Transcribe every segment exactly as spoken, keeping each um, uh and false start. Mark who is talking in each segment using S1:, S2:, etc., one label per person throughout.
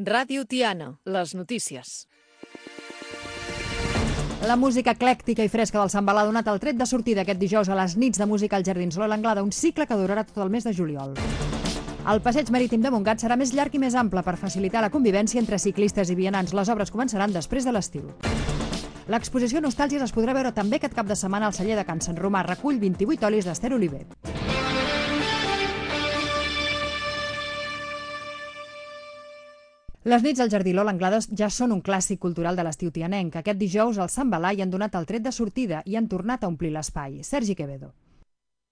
S1: Ràdio Tiana, les notícies.
S2: La música eclèctica i fresca del Sambal ha donat el tret de sortida aquest dijous a les nits de música als Jardins Lola Anglada, un cicle que durarà tot el mes de juliol. El passeig marítim de Montgat serà més llarg i més ample per facilitar la convivència entre ciclistes i vianants. Les obres començaran després de l'estiu. L'exposició Nostàlgies es podrà veure també aquest cap de setmana al celler de Can Sant Romà. Recull vint-i-vuit olis d'Ester Oliver. Les nits al Jardí Lola Anglada ja són un clàssic cultural de l'estiu tianenc. Aquest dijous al Sambalà hi han donat el tret de sortida i han tornat a omplir l'espai. Sergi Quevedo.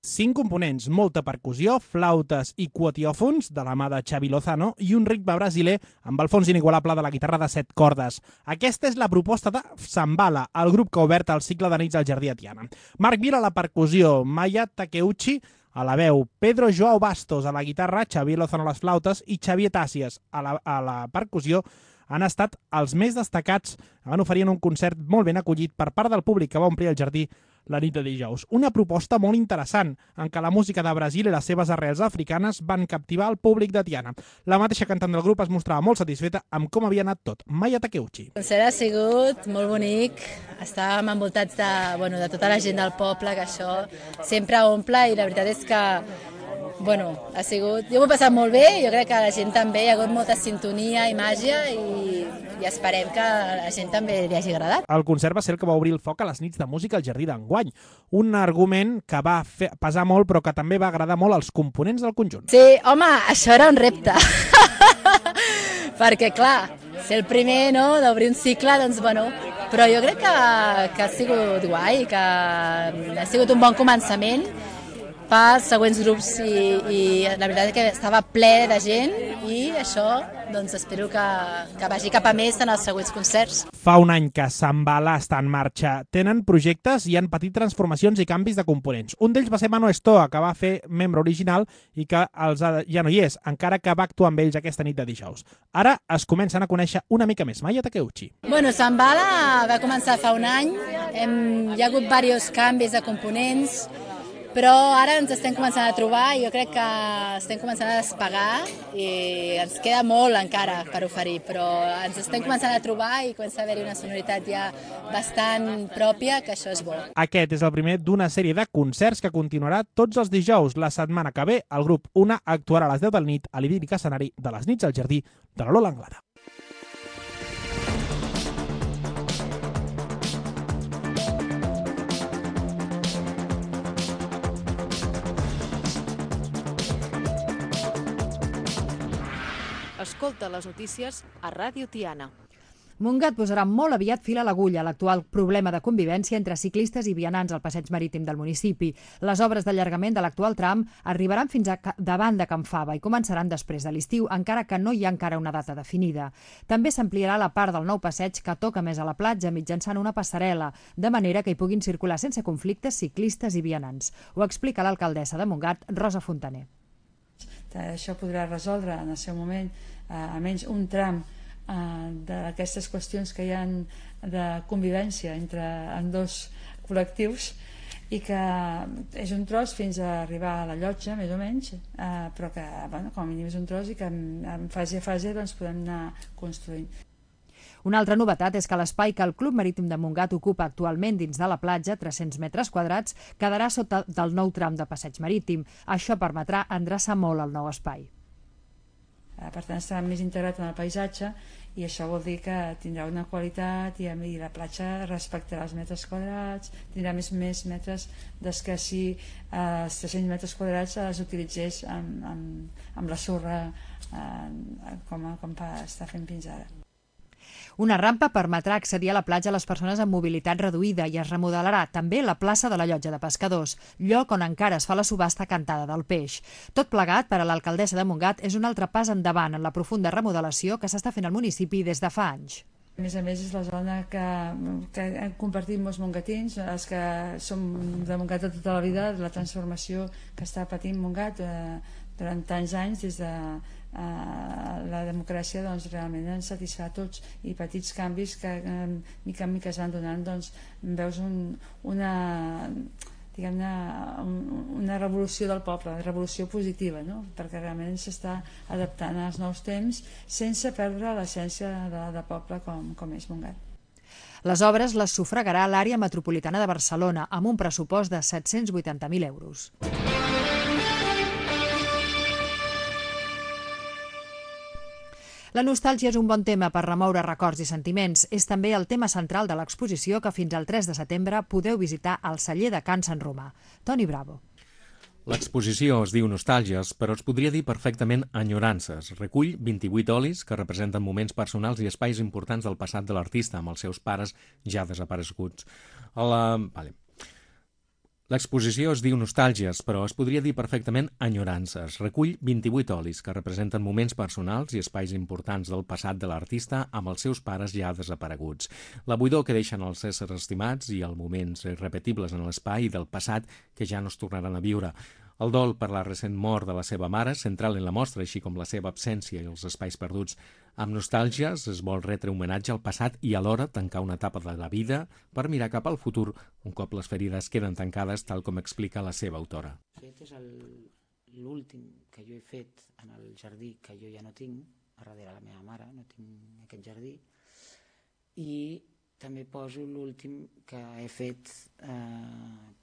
S3: Cinc components, molta percussió, flautes i quotiòfons de la mà de Xavi Lozano i un ritme brasiler amb el fons inigualable de la guitarra de set cordes. Aquesta és la proposta de Sambala, el grup que ha obert el cicle de nits al Jardí a Tiana. Marc Vila a la percussió, Maya Takeuchi a la veu, Pedro Joao Bastos a la guitarra, Xavier Lozano a les flautes i Xavier Tàcies a la, a la percussió han estat els més destacats. Van oferir un concert molt ben acollit per part del públic que va omplir el jardí la nit de dijous. Una proposta molt interessant en què la música de Brasil i les seves arrels africanes van captivar el públic de Tiana. La mateixa cantant del grup es mostrava molt satisfeta amb com havia anat tot. Maya Takeuchi.
S4: El concert ha sigut molt bonic, estàvem envoltats de, bueno, de tota la gent del poble, que això sempre omple, i la veritat és que bueno, ha sigut... Jo m'ho he passat molt bé, jo crec que la gent també, hi ha hagut molta sintonia i màgia i, i esperem que a la gent també li hagi agradat.
S3: El concert va ser el que va obrir el foc a les nits de música al Jardí d'enguany, un argument que va fer, pesar molt però que també va agradar molt als components del conjunt.
S4: Sí, home, això era un repte, perquè clar, ser el primer, no?, d'obrir un cicle, doncs bueno, però jo crec que, que ha sigut guai, que ha sigut un bon començament pels següents grups i, i la veritat és que estava ple de gent i això, doncs espero que, que vagi cap a més en els següents concerts.
S3: Fa un any que Sambala està en marxa. Tenen projectes i han patit transformacions i canvis de components. Un d'ells va ser Mano Estoa, que va fer membre original i que els ha, ja no hi és, encara que va actuar amb ells aquesta nit de dijous. Ara es comencen a conèixer una mica més. Maya Takeuchi.
S4: Bueno, Sambala va començar fa un any, hem, hi ha hagut diversos canvis de components, però ara ens estem començant a trobar i jo crec que estem començant a despegar i ens queda molt encara per oferir, però ens estem començant a trobar i comença a haver-hi una sonoritat ja bastant pròpia, que això és bo.
S3: Aquest és el primer d'una sèrie de concerts que continuarà tots els dijous. La setmana que ve, el grup Una actuarà a les deu de la nit a l'idíl·lic escenari de les nits al Jardí de la Lola Anglada.
S1: Escolta les notícies a Ràdio Tiana.
S2: Montgat posarà molt aviat fil a l'agulla a l'actual problema de convivència entre ciclistes i vianants al passeig marítim del municipi. Les obres d'allargament de l'actual tram arribaran fins a davant de Can Fava i començaran després de l'estiu, encara que no hi ha encara una data definida. També s'ampliarà la part del nou passeig que toca més a la platja mitjançant una passarel·la, de manera que hi puguin circular sense conflictes ciclistes i vianants. Ho explica l'alcaldessa de Montgat, Rosa Fontaner.
S5: Això podrà resoldre en el seu moment eh, almenys un tram eh, d'aquestes qüestions que hi ha de convivència entre ambdós col·lectius i que és un tros fins a arribar a la llotja, més o menys, eh, però que bueno, com a mínim és un tros i que en, en fase a fase doncs, podem anar construint.
S2: Una altra novetat és que l'espai que el Club Marítim de Montgat ocupa actualment dins de la platja, tres-cents metres quadrats, quedarà sota del nou tram de passeig marítim. Això permetrà endreçar molt el nou espai.
S5: Per tant, estarà més integrat en el paisatge i això vol dir que tindrà una qualitat i la platja respectarà els metres quadrats, tindrà més, més metres des que si eh, els tres-cents metres quadrats els utilitzés amb, amb, amb la sorra eh, com, com està fent fins ara.
S2: Una rampa permetrà accedir a la platja a les persones amb mobilitat reduïda i es remodelarà també la plaça de la Llotja de Pescadors, lloc on encara es fa la subhasta cantada del peix. Tot plegat, per a l'alcaldessa de Montgat, és un altre pas endavant en la profunda remodelació que s'està fent al municipi des de fa anys.
S5: A més a més, és la zona que, que hem compartit molts mongatins, els que som de Montgat de tota la vida, la transformació que està patint Montgat eh, durant tants anys des de Uh, la democràcia doncs, realment ens satisfà a tots i petits canvis que uh, mica en mica es van donant doncs, veus un, una, diguem-ne, una revolució del poble, una revolució positiva, no? Perquè realment s'està adaptant als nous temps sense perdre l'essència de, de poble com, com és Montgat.
S2: Les obres les sufragarà l'àrea metropolitana de Barcelona amb un pressupost de set-cents vuitanta mil euros. La nostàlgia és un bon tema per remoure records i sentiments. És també el tema central de l'exposició que fins al tres de setembre podeu visitar al celler de Can Sant Romà. Toni Bravo.
S6: L'exposició es diu Nostàlgies, però es podria dir perfectament Enyorances. Recull vint-i-vuit olis que representen moments personals i espais importants del passat de l'artista amb els seus pares ja desapareguts. La... Vale. L'exposició es diu Nostàlgies, però es podria dir perfectament Enyorances. Recull vint-i-vuit olis que representen moments personals i espais importants del passat de l'artista amb els seus pares ja desapareguts. La buidor que deixen els éssers estimats i els moments irrepetibles en l'espai del passat que ja no es tornaran a viure. El dol per la recent mort de la seva mare, central en la mostra, així com la seva absència i els espais perduts. Amb Nostàlgies es vol retre homenatge al passat i alhora tancar una etapa de la vida per mirar cap al futur, un cop les ferides queden tancades, tal com explica la seva autora.
S7: Aquest és l'últim que jo he fet en el jardí que jo ja no tinc, a darrere la meva mare, no tinc aquest jardí, i també poso l'últim que he fet eh,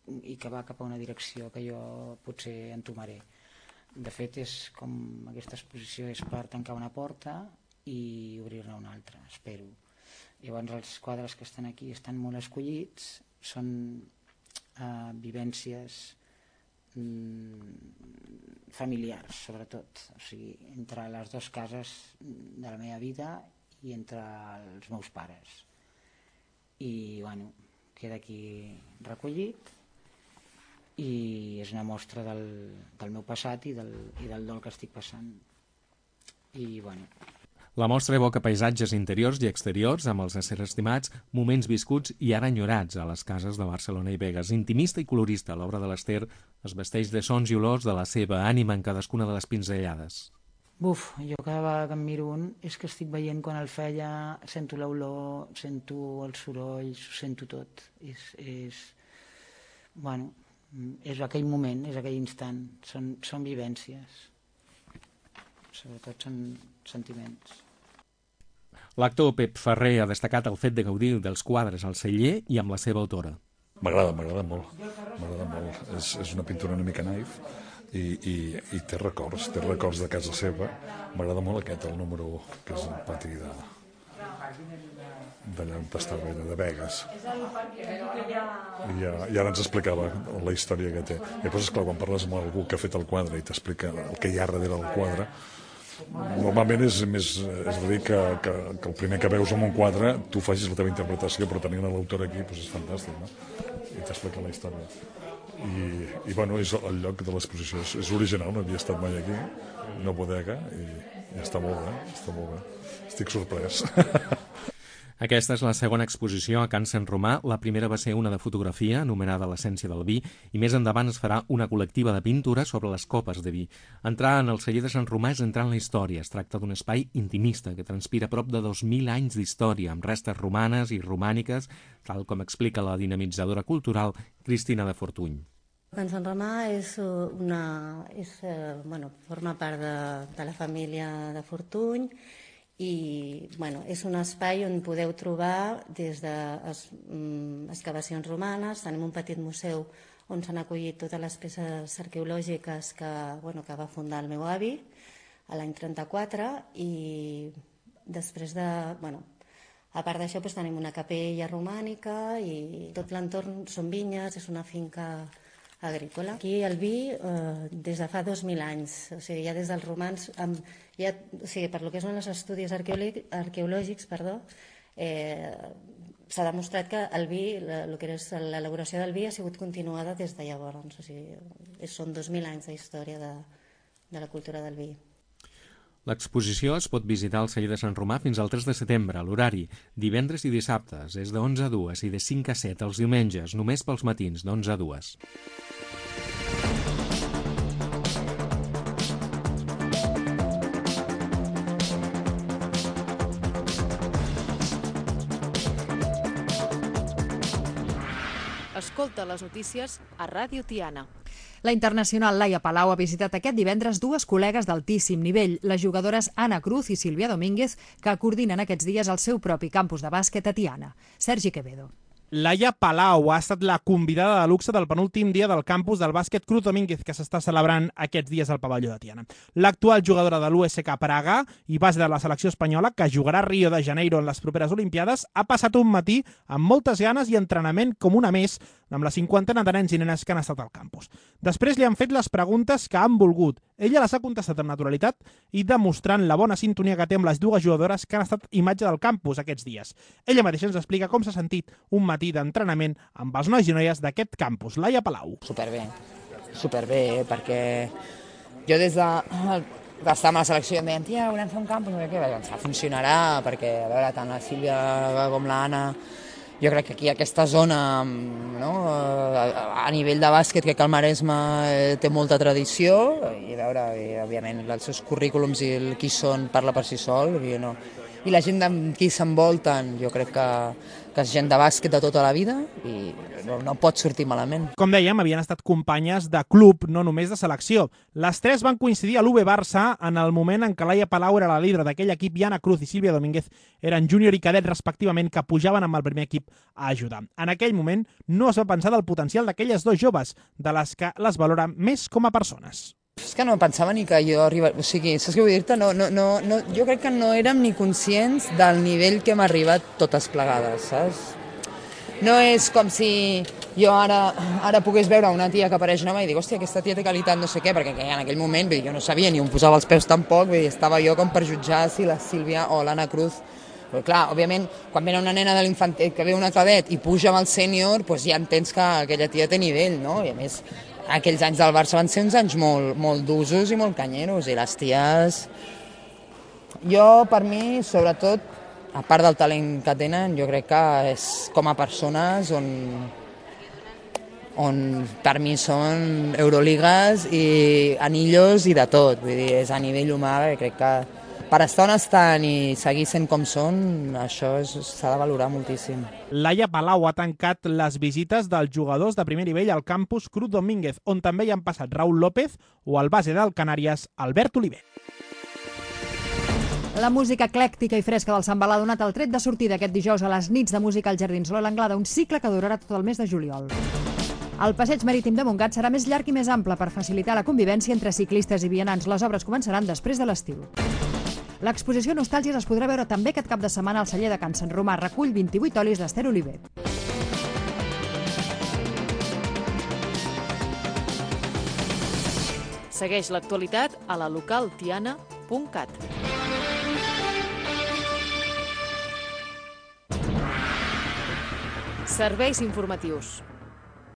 S7: i que va cap a una direcció que jo potser entomaré. De fet, és com aquesta exposició és per tancar una porta i obrir-ne una altra, espero. Llavors els quadres que estan aquí estan molt escollits, són eh, vivències mm, familiars, sobretot. O sigui, entre les dues cases de la meva vida i entre els meus pares. I, bueno, queda aquí recollit i és una mostra del, del meu passat i del, i del dol que estic passant. I, bueno...
S6: La mostra evoca paisatges interiors i exteriors amb els éssers estimats, moments viscuts i ara enyorats a les cases de Barcelona i Begues. Intimista i colorista, l'obra de l'Ester es vesteix de sons i olors de la seva ànima en cadascuna de les pinzellades.
S7: Buf, jo cada vegada que em miro un és que estic veient quan el feia, sento l'olor, sento els sorolls, ho sento tot. És, és... Bueno... és aquell moment, és aquell instant, són, són vivències, sobretot són sentiments.
S6: L'actor Pep Ferrer ha destacat el fet de gaudir dels quadres al celler i amb la seva autora.
S8: M'agrada, m'agrada molt, m'agrada molt. És, és una pintura una mica naif i, i, i té records, té records de casa seva. M'agrada molt aquest, el número que és el pati de... d'allà on estava ella, de Begues. I, ja, I ara ens explicava la història que té. I després, esclar, quan parles amb algú que ha fet el quadre i t'explica el que hi ha darrere del quadre, normalment és més és a dir que, que, que el primer que veus en un quadre tu facis la teva interpretació, però tenint l'autor aquí doncs és fantàstic, no? I t'explica la història. I, i bueno, és el lloc de l'exposició. És, és original, no havia estat mai aquí, una bodega, i, i està molt bé, està molt bé. Estic sorprès.
S6: Aquesta és la segona exposició a Can Sant Romà. La primera va ser una de fotografia, anomenada L'essència del vi, i més endavant es farà una col·lectiva de pintura sobre les copes de vi. Entrar en el celler de Sant Romà és entrar en la història. Es tracta d'un espai intimista que transpira prop de dos mil anys d'història, amb restes romanes i romàniques, tal com explica la dinamitzadora cultural Cristina de Fortuny.
S9: Can Sant Romà és una, és, bueno, forma part de, de la família de Fortuny, i bueno, és un espai on podeu trobar des d'excavacions romanes. Tenim un petit museu on s'han acollit totes les peces arqueològiques que, bueno, que va fundar el meu avi a l'any trenta-quatre, i després de... Bueno, a part d'això doncs, tenim una capella romànica i tot l'entorn són vinyes, és una finca agrícola. Aquí el vi eh, des de fa dos mil anys, o sigui, ja des dels romans, amb, ja, o sigui, per lo que són els estudis arqueològics, perdó, eh, s'ha demostrat que el vi, el que és l'elaboració del vi ha sigut continuada des de llavors, o sigui, són dos mil anys de història de, de la cultura del vi.
S6: L'exposició es pot visitar al celler de Sant Romà fins al tres de setembre. L'horari, divendres i dissabtes, és de onze a dues i de cinc a set els diumenges, només pels matins, d'onze a dues.
S1: Escolta les notícies a Ràdio Tiana.
S2: La internacional Laia Palau ha visitat aquest divendres dues col·legues d'altíssim nivell, les jugadores Ana Cruz i Sílvia Domínguez, que coordinen aquests dies el seu propi campus de bàsquet a Tiana. Sergi Quevedo.
S3: Laia Palau ha estat la convidada de luxe del penúltim dia del campus del bàsquet Cruz Domínguez que s'està celebrant aquests dies al pavelló de Tiana. L'actual jugadora de l'U S K Praga i base de la selecció espanyola, que jugarà a Rio de Janeiro en les properes Olimpiades, ha passat un matí amb moltes ganes i entrenament com una més amb la cinquantena de nens i nenes que han estat al campus. Després li han fet les preguntes que han volgut. Ella les ha contestat amb naturalitat i demostrant la bona sintonia que té amb les dues jugadores que han estat imatge del campus aquests dies. Ella mateixa ens explica com s'ha sentit un matí d'entrenament amb els nois i noies d'aquest campus. Laia Palau.
S10: Superbé, superbé, perquè jo des de que estava amb la selecció em deien, tia, volem fer un campus, no sé què, vaig pensar, funcionarà, perquè, a veure, tant la Sílvia com l'Anna, jo crec que aquí aquesta zona, no, a nivell de bàsquet, crec que el Maresme té molta tradició, i a veure, i, òbviament, els seus currículums i el qui són parla per si sol, i, no. I la gent amb qui s'envolten, jo crec que, que és gent de bàsquet de tota la vida i no, no pot sortir malament.
S3: Com dèiem, havien estat companyes de club, no només de selecció. Les tres van coincidir a l'U V Barça en el moment en què Laia Palau era la líder d'aquell equip i Ana Cruz i Sílvia Domínguez eren júnior i cadet respectivament que pujaven amb el primer equip a ajudar. En aquell moment no es va pensar del potencial d'aquelles dos joves, de les que les valora més com a persones.
S10: És que no pensava ni que jo arribaria... O sigui, saps què vull dir-te? No, no, no, no, jo crec que no érem ni conscients del nivell que hem arribat totes plegades, saps? No és com si jo ara, ara pogués veure una tia que apareix nova i dic, hòstia, aquesta tia té qualitat, no sé què, perquè en aquell moment vull dir, jo no sabia ni on posava els peus tampoc, vull dir, estava jo com per jutjar si la Sílvia o l'Anna Cruz. Però clar, òbviament, quan ve una nena de l'infantet que ve una cadet i puja amb el sènior, doncs ja entens que aquella tia té nivell, no? I a més, aquells anys del Barça van ser uns anys molt, molt d'usos i molt canyeros, i les ties... Jo, per mi, sobretot, a part del talent que tenen, jo crec que és com a persones on, on per mi són Euroligues i anillos i de tot, vull dir, és a nivell humà, crec que per estar on estan i seguir sent com són, això s'ha de valorar moltíssim.
S3: Laia Palau ha tancat les visites dels jugadors de primer nivell al campus Cruz Domínguez, on també hi han passat Raúl López o el base del Canàries, Albert Oliver.
S2: La música eclèctica i fresca del Sant Balà ha donat el tret de sortida aquest dijous a les nits de música al Jardins Lola Anglada, un cicle que durarà tot el mes de juliol. El passeig marítim de Montgat serà més llarg i més ample per facilitar la convivència entre ciclistes i vianants. Les obres començaran després de l'estiu. L'exposició Nostàlgies es podrà veure també aquest cap de setmana al celler de Can Sant Romà. Recull vint-i-vuit olis d'Ester Oliver.
S1: Segueix l'actualitat a la local tiana punt cat. Serveis informatius.